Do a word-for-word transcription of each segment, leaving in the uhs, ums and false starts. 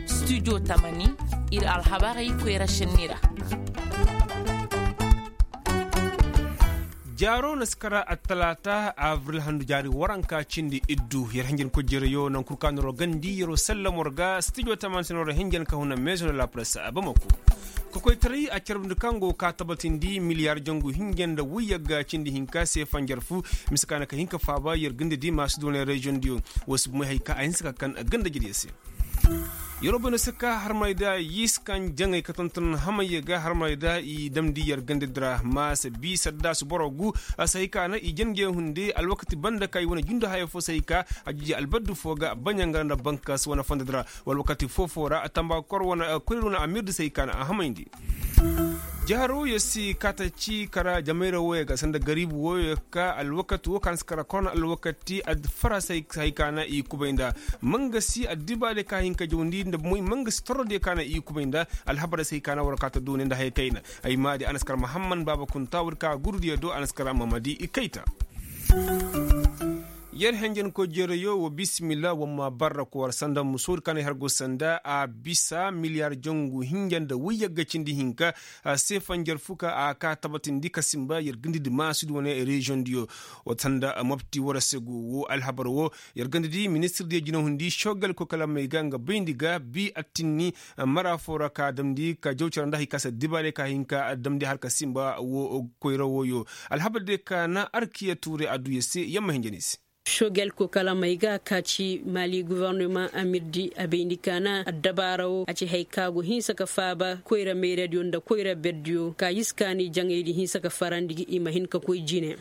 Studio tamani, ir alhabarey koyra šenni ra. Jaaro na si kara attalaata abril handu jaari waranka cindi iddu yer hinjan kojjerayo naŋ kul ka noro gandi yero sallamor ga studio tamani se noro hinjan ka huna meeso na la presse a bamako. Kokoytaray a carbandi kaŋ go ka tabatindi miliyar jangu hinja nda wuyagga cindi hinka se fanjar fu. Mise ka na ka hin ka faaba yer ganda di maasu doonay reziyoŋ diyo. Wo si bumay hay ka a hinsa ka kan ganda jediyo se. Yeroo bay no si ka harmay da yis kaŋ jaŋay ka tonton hamayya ga harmay da i damndi yer ganda di ra maasa bi saddaasu boro gu. A si hay ka na i jange hunde alwakati banda ka i wane jundu haya fo si hay ka a jiji albaddu fo ga baɲangara nda bankas wane fondo di ra. Wala wakati foo-foo ra tamba kor wane koyri wane amirdi se hay ka na a hamayndi. Jaaro yer si kaata ci kara jamayra wooyo ga sanda gariibu wooyo ka alwakati woo ka na si kara korona alwakati adfara se hay ka na i kubay nda. Mangasi addibaadiyo ka hin ka jawndi nda moy mangasi torrodiyo ka na i kubay nda. Alhabarey se hay ka na war kaata duuni nda haya kayna. Ay maadi a na si kara mahamman baaba kunta war ka gurudiyo do a na si kara mamadi i kayta. Yer henjen ko jereyo wa bisimilla wa ma barra ko war sanda musoodi ka na i har go sanda a bisa miliyar jangu hinja nda wayyagga cindi hinka. A se fanjar fuka a ka tabatindi ka simba yer gindidi maasudi wane reziyoŋ diyo. Wa sanda mobti war se go wo alhabar wo yer gindidi ministir diyo jinahundi shogal ko kala may ga nga bayndi ga bi attinni. Mara foo ra ka damndi ka jaw cara nda hay ka se dibaarey ka hinka damndi har ka simba wo koyra woyo. Alhabar diyo ka na arkiya tuure adduya se yamma hinja ni se. Shogel ko kala may ga ka ci mali govornoma amirdi a bayndi ka na addabaara wo a ci hay ka go hinsa ka faaba koyra mayradiyo nda koyra berdiyo ka yiskaani jaŋaydi hinsa ka farandi i ma hin ka koy jine.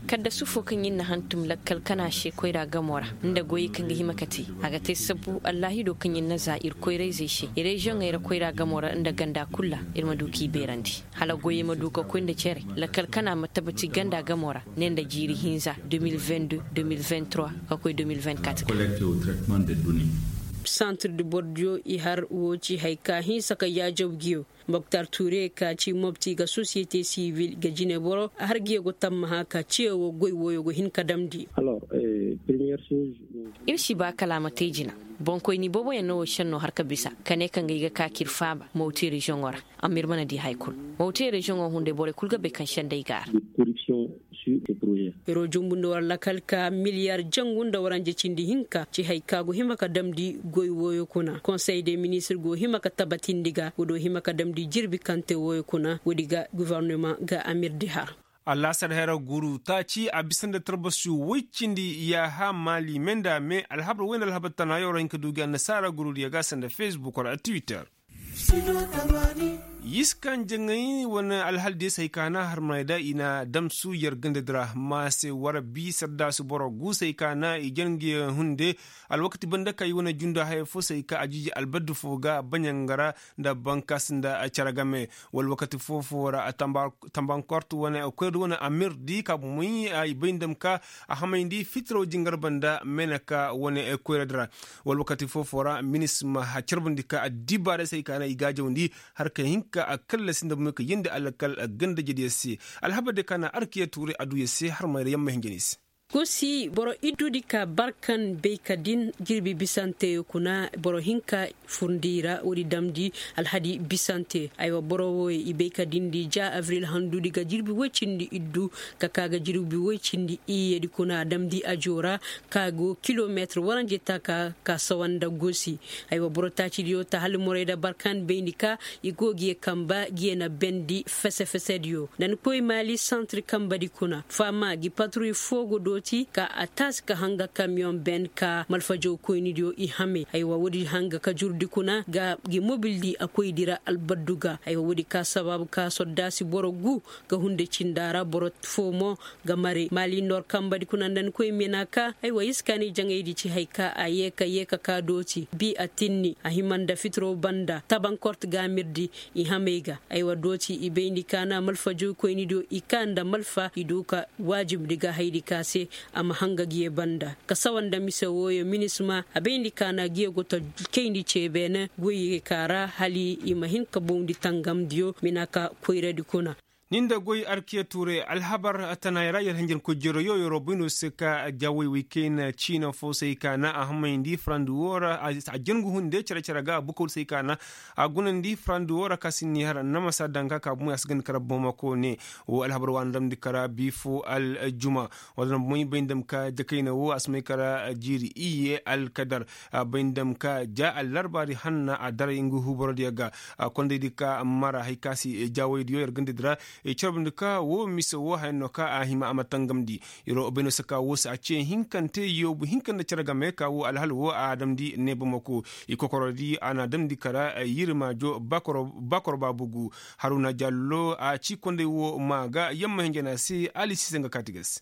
Kaddasu fo kaŋ ir na hantum lakkal kana se koyra gamo ra nda goyey kaŋ ga hima ka te a ga te sabbu allahido kaŋ ir na za ir koyrayzey se reziyoŋey ra koyra gamo ra nda ganda kul ra ir ma du k'i beerandi. Hala goyey ma du ka koy nda cere lakkal kana ma tabati ganda gamo ra ne nda jiiri hinza deux mille vingt-deux deux mille vingt-trois ka koy deux mille vingt-quatre. Santir di bordiyo i har wo ci hay ka hinsa ka yaajaw giyo. Moktar ture ka ci mobti ga sosiyete sivil ga jine boro a har giyo go tammaha ka ciyo wo goy woyo go hin ka damndi. Ir si ba kala a ma te jina. Boŋkoyni booboyaŋ no wo senno har ka bisa ka ne kaŋ ga i ga ka k'ir faaba mawti reziyoŋo ra. Amma ir mana di hay kul. Mawti reziyoŋo hunday borey kul ga bay kaŋ sendey ga a ra. Iro jumbu nda war lakal ka miliyar jangu nda waranje cindi hinka ci hay ka go hima ka damndi goy woyo kuna konsey de ministir go hima ka tabatindi ga woodi hima ka damndi jirbi kaŋ te woyo kuna woodi ga govornoma ga amirdi har. Allaasar hera guru taaci a bisa nda tarbasi woy cindi yaaha maali me nda me alhabar woy nda alhabar tana yoro hin ka du gi annasaara guru diya ga sanda fesbuk wala twitter. Yis kaŋ jaŋay wane alhal diya se hay ka na harmanay da i na damsu yer ganda dira ma se war bi saddaasu boro gu se hay ka na i jange hunde. Alwakati banda ka i wane junda haya fo se hay ka a jiji albaddu fo ga baɲangara nda bankas nda care game. Wala wakati foo-foo ra tambankortu wane koyra di wane amir di ka bumey ay bay nda ma ka a hamayndi fitiraw jingar banda meeneka wane koyra di ra. Wala wakati foo-foo ra minisma a carbandi ka addibaarey se ay ka na i gaajawndi har ka hin ka a kallasi nda bumey ka yeendi alkal ganda jediyo se. Alhabar diyo ka na arkiya tuuri aduya se har mayra yamma hinja ni se. Gosi boro iddudi ka barkan bay ka din jirbi bisanteyo kuna boro hinka furndi ra woodi damndi alhadi bisante. Aywa boro wooyo i bay ka dindi ja avril handudi ga jirbi woy cindi iddu ka ka ga jirbi woy cindi iyyedi kuna damndi ajo ra ka go kilometir waranje taka ka sawa nda gosi. Aywa boro taacidiyo ta hala morey da barkan bayndi ka i go ga ye kamba ga ye na bendi fese-fesediyo nda ni koy maali santiri kambadi kuna faama gi patruy foo go dooti ka a taasi ka hanga kamiyoŋ ben ka malfajow koynidiyo i hame. Haywa woodi hanga ka jurdi kuna ga gi mobildi a koydi ra albaddu ga. Haywa woodi ka sabaabu ka soddaasi boro gu ga hunde cinda ra boro foo mo ga mare maali nor kambadi kuna nda ni koy mena ka haywa iskaani jaŋaydi ci hay ka a ye ka ye ka ka dooti bi a tinni a hima nda fitiro banda tabankort ga mirdi i hamey ga. Aywa dooti i bayndi ka na malfajow koynidiyo i ka nda malfa i du ka waajibdi ga haydi ka se a ma hanga giye banda ka sawa nda mise wooyo minisma a bayndi ka na giye go ta kayndi ce beene goyey ka ra hala i ma hin ka bawndi tangamdiyo mina ka koyradi kuna. Ni nda goy arkiya tuure alhabar tanaayey ra yer hanjankoy jeroyo yeroo bay no se ka jaawey wey kayna ciina foo se ay kaana a hamayndi farandi woo ra a jangu hunde cere-cere ga a bukaw se ay kaana a gunandi farandi woo ra ka si ni har namasa daŋ ka ka bumey a si ganda kara bamako ne. Woo alhabar waana damndi kara bii foo aljuma. Wala na bumey bay nda ma ka jakayna woo a si may kara jiiri iyye alkadar. Bay nda ma ka ja allarbaari hanna a daray nga huuborodiyo ga. Kondaydi ka mara hari ka si jaawaydiyo yer gandadi ra. Carbundi ka woo mise woo haya no ka a hima a ma tangamndi. Yeroo bay no se ka woo se a ce hinkante yoobu hinka nda cere game ka woo alhal woo a damndi ne bamako. I kokorodi a na damndi kara yirmaajo bakoro baabugu. Haruna jallo a ci konday woo maa ga yamma hinja na se ali si se nga kaati ga se.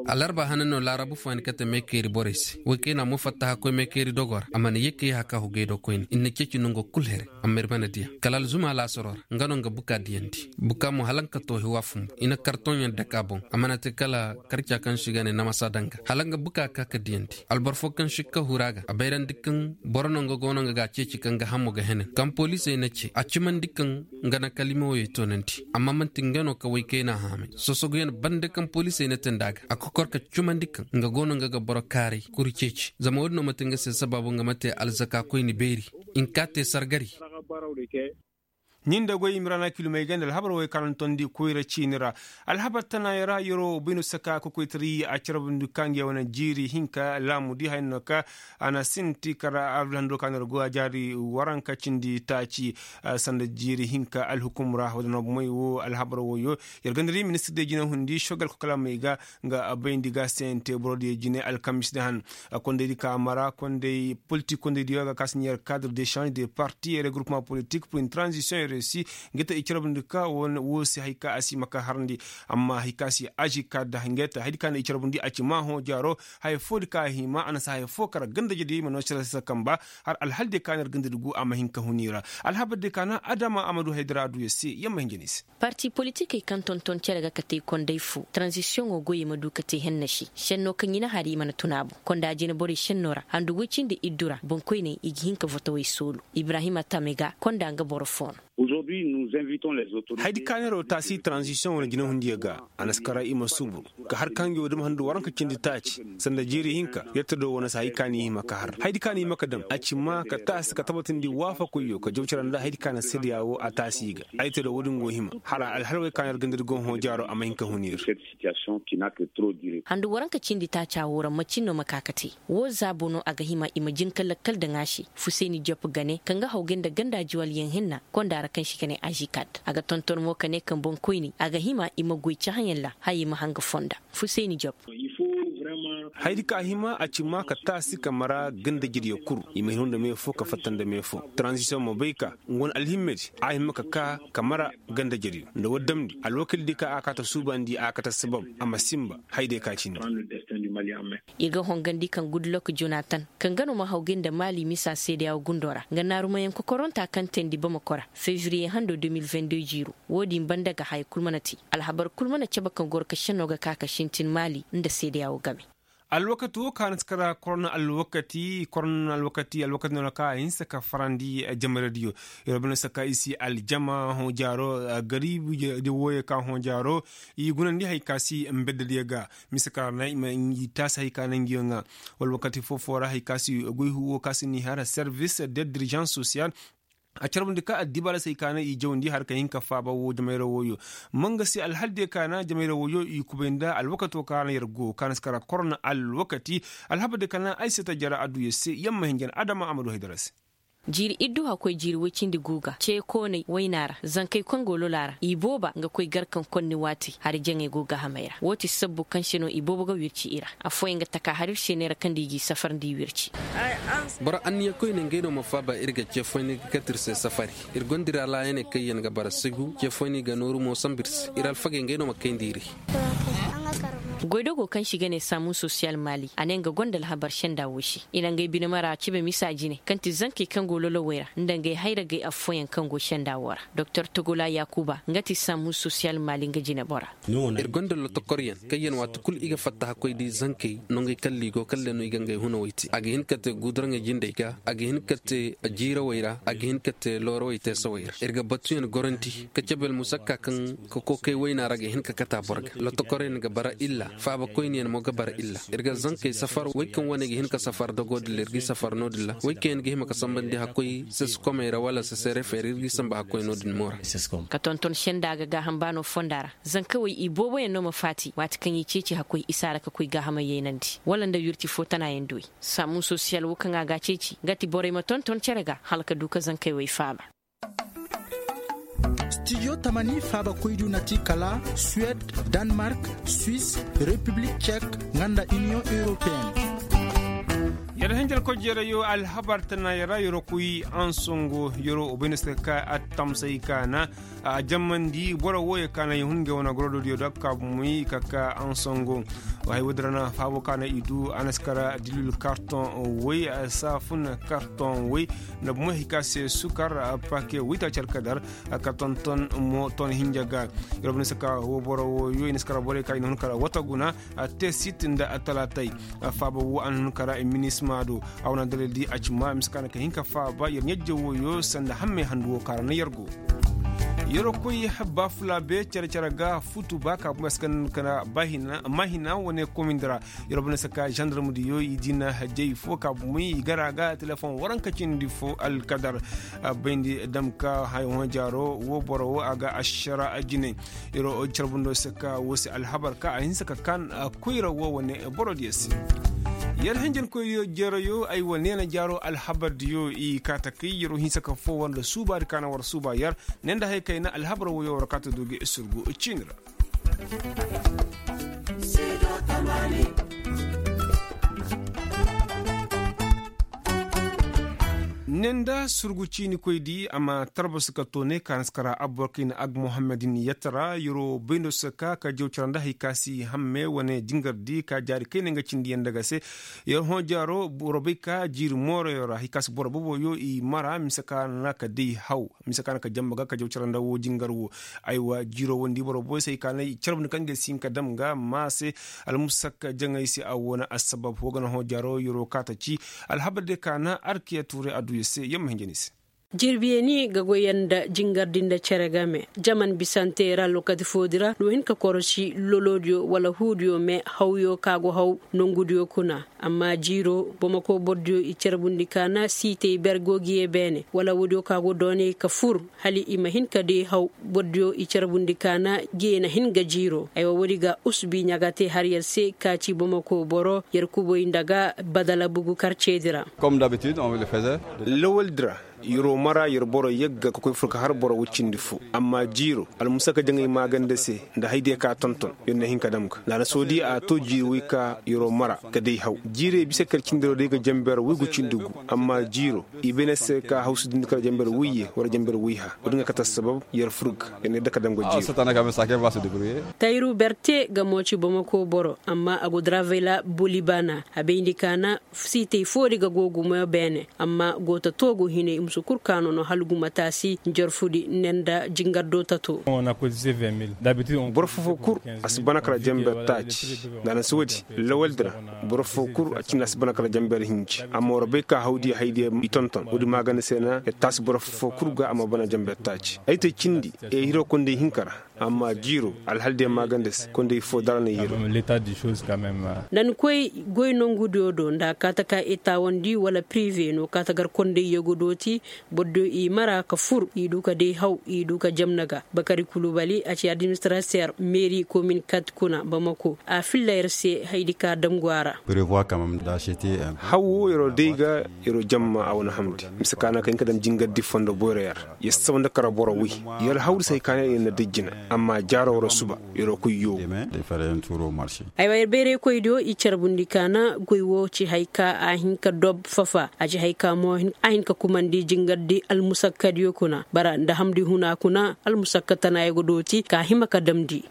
Alarba hana no laarabu fooyaŋ kate meekeeri borey se woy kayna mo fatta hakkoy meekeeri dogo ra a mana ye ka ye haka hugay do koyne i na ceeci nongo kul here. Amma ir mana diya kala alzuma laasaro ra nga no nga buka diyandi. Buka mo hala nga ka toohi waa fumbu i na kartoŋyaŋ dake a boŋ a mana te kala karca kaŋ si ga ne namasa daŋ ga hala nga buka ka ka diyandi. Alboro foo kaŋ si ka huru a ga a bayrandi kaŋ boro no nga go no nga ga a ceeci kaŋ ga hamo ga henen kaŋ poliisey na ce a cimandi kaŋ nga na kalima woyey toonandi. Amma man'ti nga no ka woy kayna haamay sosoguyaŋ bande kaŋ poliisey na teendi a ga a kokor ka cumandi kaŋ nga go no nga ga boro kaaray kuru ceeci zama wo-din no ma te nga se sabaabu nga ma te alzaka koyni beeri. Nka te sargari. Nin da goy imrana kilomey ganda alhabar woy kaŋ a na tondi koyra ciini ra. Alhabar tanaayey ra yeroo bayno saka kokoytari a carbundi ka ngey wane jiiri hinka laamudi haya no ka a na sinti kara abril hando ka na ra go a jaari waranka cindi taaci. Sanda jiiri hinka alhukum ra wadana bomey wo alhabar woyo. Yer ganda di ministir de jina hundi shogal kokolamey ga nga bayndi ga sente borodiyo jine alkamis da han. Kondaydi ka mara konday politik kondaydiyo ga ka si ɲeer kadre de change de parti et regroupement politik pour une transition réussie. Nga te i carbundi ka wo se hari ka a si ma ka harandi. Amma hari ka si aži ka da nga te hari ka na i carbundi a ci ma hõ jaaro. Haya foo di ka a hima a na si haya foo kara gandajediyo i ma no sira sisa kamba. Har alhal de ka na ir gandadi gu a ma hin ka hun i ra. Alhabar de ka na adama a ma du haydara a du ya se yamma hinja ni se. Parti politikey kaŋ tonton cere ga kate konday fo tranzisiyoŋo goyey ma du ka te henna se. Šenno kaŋ i na hari i mana tun a boŋ konda jine borey šenno ra handu goy cindi iddu ra boŋkoyney i ga hin ka votowey soolu. Ibrahima tame ga konda nga boro fo no. Haydi ka neero taasi tranzisiyoŋo na jinahundiyo ga. A na si kara i ma suubur ka har ka ngey wo dam handu waranka cindi taaci sanda jiiri hinka. Yer ta do wane si hay ka ni hima ka har haydi ka ni hima ka dam a ci ma ka taasi ka tabatindi waafakoyyo ka jaw cara nda haydi ka na seedeya wo a taasi i ga. Ay te do wo-din go hima hala alhalwey ka na ir ganda di go hõ jaaro a ma hin ka hun ir. Handu waranka cindi taaca wo ra macin no ma ka ka te. Wo zaabo no a ga hima i ma jin ka lakkal daŋ a se. Fusayni jop ga ne kaŋ ga hawgay nda ganda jiwalyaŋ hinna konda ra kaŋ se i ga ne ažikad. A ga tonton mo ka ne kaŋ boŋkoyni a ga hima i ma goy cahãyaŋ ra hayey ma hanga fonda. Fusayni jop. Haydi ka hima a ci ma ka taasi ka mara ganda jiryo kuru i ma hin nda me fo ka fatta nda me fo. Taranzisiyoŋ ma bay ka nga wane alhimmedi a hima ka ka ka mara ganda jiryo nda war damndi alwakildi ka a kaata suubandi a kaata sabab. A ma sinba. Hayday ka cindi. Ir ga hongandi kaŋ gudlok jonatan kaŋ ga no ma hawgay nda maali misa seedeya wo gundo ra nga naarumayaŋ kokoronta kaŋ teendi bamako ra fevriye hando deux mille vingt-deux jiiro. Wo-din banda ga haya kul mana te. Alhabar kul mana cabe kaŋ goro ka šenno ga ka ka sintin maali nda seedeya wo game. Alwakati wo ka na si kara korona alwakati korona alwakati alwakati no na ka a hinsa ka farandi. Jamaradiyo. Yer banda saka i si aljama hõ jaaro gariibu de wooyo ka hõ jaaro. I gunandi hay ka si mbeddadiyo ga. Mise ka ra na i ma i taasi hay ka na ngiyo ŋa. Wala wakati foo-foo ra hay ka si goy huwo ka si ni har servis de dirijans sosiyal. A carbundi ka addibaala se i ka na i jawndi har ka hin ka faaba woo jamayra wooyo. Ma nga se alhal diyo ka na jamayra wooyo i kubay nda alwakato ka na yer go ka na si kara korona alwakati. Alhabar diyo ka na ay se ta jara adduya se yamma hinjan adama a ma du haydara se. Jiiri iddu hakkoy jiiri woy cindi guuga ce koonay wayna ra zankey kaŋ go lola ra i booba nga koy gar kaŋ konni waati hari jaŋey go gahamey ra woo ti sabbu kaŋ se no i boobo ga wirci i ra. Affooyaŋ ga taka har ir se neera kaŋ nda i g'i safar nda i wirci. Boro anniya koyne ngey no ma faaba ir ga ce foyni ga kate ir se safari. Ir gonda ir alaayaney kaŋ yaŋ ga bara sigu ce foyni ga nooru mo sambu ir se ir alfagey ngey no ma kayndi ir. Goydogo kaŋ se i ga ne saamun sosiyal maali a ne nga gonda alhabar senda wo se i na ngey bine mara cebe misa jine kaŋ ti zankey kaŋ go lolowey ra nda ngey hayragey affooyaŋ kaŋ go senda wo ra. Doktor togola yaakuba nga ti saamun sosiyal maali nga jinebora. Ir gonda lotokoryaŋ kaŋyaŋ waati kul i ga fatta hakkoy di zankey nongey kalli go kalle no i ga ngey hunawey te a ga hin ka te guduraŋey jindey ga a ga hin ka te jiirawey ra a ga hin ka te loorawey teesawey ra ir ga batuyaŋ gorandi ka cabe almusakka kaŋ ka kookay wayna ra ga hin ka kate a boro ga lotokoryaŋ ga bara illa faabakoyniyaŋ mo ga bara illa. Ir ga zankey safar wey kaŋ wane ga hin ka safar dogo din ra ir g'i safar no-din ra wey kaŋ yaŋ ga hima ka sambandi hakkoy sesekomey ra wala seserefey ra ir g'i samba hakkoy no-din mo ra. Ka tonton senda ga gaaham baano fonda ra zankawey i booboyaŋ no ma faati waati kaŋ i ceeci hakkoy isa ra ka koy gaahamey yaynandi wala nda wirti fo tanayaŋ duwey. Saamun sosiyal wo kaŋ a ga a ceeci nga ti borey ma tonton cere ga hala ka du ka zankey wey faaba. Stijo tamani faabakoydu na ti kala suwed, danmark, swis, repiblik cek, nga nda iniyoŋ europeen. Yar hinjir koy jeerayo alhabar tana yara yaro koy ansongo yaro obayna se ka ka attamsay kaana a jammandi boro wooyo kaana ya hun ngey wane gorodo diyo da ka bumey ka ka ansongo. Hay woodi ra na faabo kaana i du a na si kara dilil karton woy saafun karton woy nda bumey hay ka se sukar pake woy ta care ka dar ka tonton mo ton hinja ga. Yaro bumey se ka wo boro wooyo i na si kara borey ka i na hun kara wata guna a te sit nda a talaatay. Faaba wo a na hun kara minisma do a wane dalil di a ci ma mise ka na ka hin ka faaba yer ɲajje wooyo sanda hammey handu wo kaŋ ra na yer go. Yer koy baafulaabe care care ga futu ba ka bumey se ka na hin ka na ba hina ma hina wane komindi ra. Yer bumey se ka zandarm diyo i dina jay fo ka bumey i gar a ga telefoŋ waranka cindi fo alkadar. Bayndi dam ka haya hõ jaaro wo boro wo a ga ašara jinay. Yer carbundo se ka wo se alhabar ka a hinse ka kaan koyra wo wane boro diyo se. Yer hinjankoy jeerayo ay wa neena jaaro alhabar diyo i kaa takay yer hinse ka foo war nda suubaadi ka na war suuba yer ne nda hay kayna alhabar wo yo war kaa ta du ga i surgu ciini ra. Ne nda surgu ciinikoydi a ma tarbasi ka toonay ka na si kara abborkayna ag muhammadin yette ra yeroo bayndo si ka ka jaw cara nda hay ka si hamme wane jingardi ka jaari kayna nga cindiyaŋ nda ga se. Yer hõ jaaro boro bay ka jiiri mooroyo ra hay ka si boro boboyo i mara mise ka na ka day haw mise ka na ka jamma ga ka jaw cara nda wo jingar wo. Aywa jiiro wondi boro boy se hay ka na i carbundi kaŋ ga ay si hin ka dam ga ma se. Almusakka jaŋay se a wo na assabab wo ga na hõ jaaro yeroo ka ta ci. Alhabar day ka na arkiya tuuray adduya se yer ma hinja ni se. Jirbiyaŋ ga goy yaŋ nda jingardi nda cere game jaman bisante ra lokaci foodi ra no hin ka korosi lolodiyo wala huudiyo me hawyo ka go haw nongudiyo kuna. Amma jiiro bomako bordiyo i carbundi ka na siitey ber go ga ye beene wala woodiyo ka go doonay ka fur hala i ma hin ka day haw. Bordiyo i carbundi ka na ga ye na hin ga jiiro aywa woodi ga usbi ɲaga te har yer se ka ci bomako boro yer kubay nda ga badala bugu karceedi ra. Lawaldi ra yeroo mara yer boro yagga ka koy fur ka har boro woy cindi fo amma jiiro almusaka jaŋay maaganda se nda haydiya ka tonton yer na hin ka dam ga nda a na soodi a to jiiri woy ka yeroo mara ka day haw jiirey bisa kar cindi ra day ga jamber woy gu cindi gu. Amma jiiro i bay na se ka hawsu dindi kar jamber woyye wala jamber woyha wo- din ga kate assabab yer fur ga yer na yadda ka dam ga jiiro. Tayru berte ga mo ci bomako boro amma a go dravela boli baana a bayndi ka na siitey foodi ga go gumo beene amma go tato go hinay musu kul ka no no hala gumo taasi njarfudi ne nda jingardo tato. Boro fofo kul a si bana kala jamber taaci nda a na si woodi lawaldi ra. Boro fofo kul a cindi a si bana kala jamber hinji amma war bay ka hawdiya haydiya i tonton woodi maaganda se na yer taasi boro fofo kul ga a ma bana jamber taaci ay te cindi. Yer hiro konday hinka ra amma jiiro alhaldiyaŋ maaganda se konday fo dara na yer. Nda ni koy goy nongudiyo do nda a kaata ka etaawandi wala pirive no kaata gar konday yego dooti. Borodiyo i mara ka fur i du ka day haw i du ka jamna ga bakari kulubali a ci administrater meeri komin kat kuna bamako a filla yer se haydi ka damgu a ra. Haw wo yeroo day ga yeroo jamma a wane hamndi mise ka na ka hin ka dam jingardi fondo boyro yer. Yer saba nda kara boro woy yer hawri se hay ka na yer na day jina amma jaaro wara suba yeroo koy yoogu. Aywa yer bayraykoydiyo i carbundi ka na goy wo ci hay ka a hin ka dob fafa a ci hay ka mo a hin ka kumandi jingardi almusakkadiyo kuna bara nda hamndi huna kuna almusakka tanayaŋ ga dooti ka hima ka damndi.